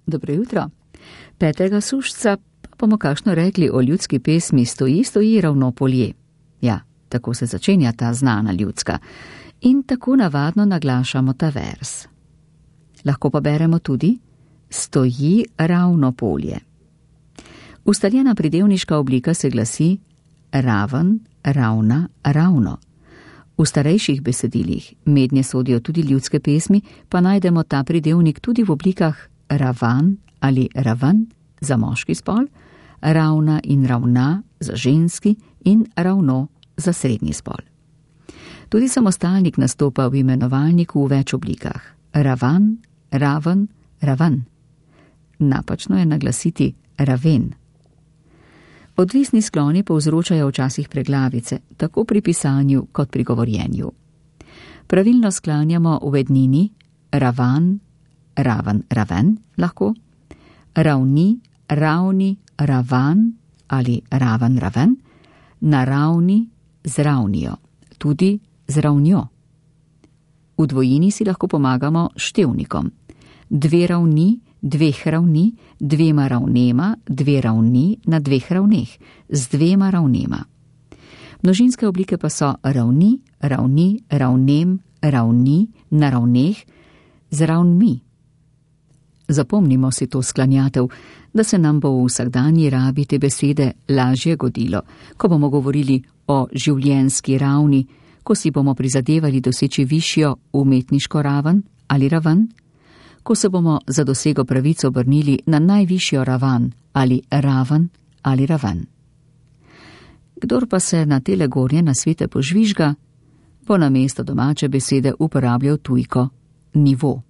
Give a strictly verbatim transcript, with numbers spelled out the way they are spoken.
Dobro jutro. Petega sušca pa bomo kakšno rekli o ljudski pesmi Stoji, stoji ravno polje. Ja, tako se začenja ta znana ljudska. In tako navadno naglašamo ta vers. Lahko pa beremo tudi Stoji ravno polje. Ustaljena pridevniška oblika se glasi raven, ravna, ravno. V starejših besedilih, mednje sodijo tudi ljudske pesmi, pa najdemo ta pridevnik tudi v oblikah ravan ali raven za moški spol, ravna in ravna za ženski in ravno za srednji spol. Tudi samostalnik nastopa v imenovalniku v več oblikah. Ravan, raven, raven. Napačno je naglasiti raven. Odvisni skloni povzročajo včasih preglavice, tako pri pisanju kot pri govorjenju. Pravilno sklanjamo v ednini ravan, raven, raven lahko, ravni, ravni, ravan ali raven, raven, naravni z ravnijo, tudi z ravnjo. V dvojini si lahko pomagamo števnikom. Dve ravni, dveh ravni, dvema ravnema, dve ravni na dveh ravneh, z dvema ravnema. Množinske oblike pa so ravni, ravni, ravnem, ravni, na ravneh, z ravnmi. Zapomnimo si to sklanjatev, da se nam bo v vsakdanji rabi te besede lažje godilo, ko bomo govorili o življenjski ravni, ko si bomo prizadevali doseči višjo umetniško raven ali raven, ko se bomo za dosego pravico obrnili na najvišjo raven ali raven ali raven. Kdor pa se na tele gornje nasvete požvižga, bo namesto domače besede uporabljal tujko nivo.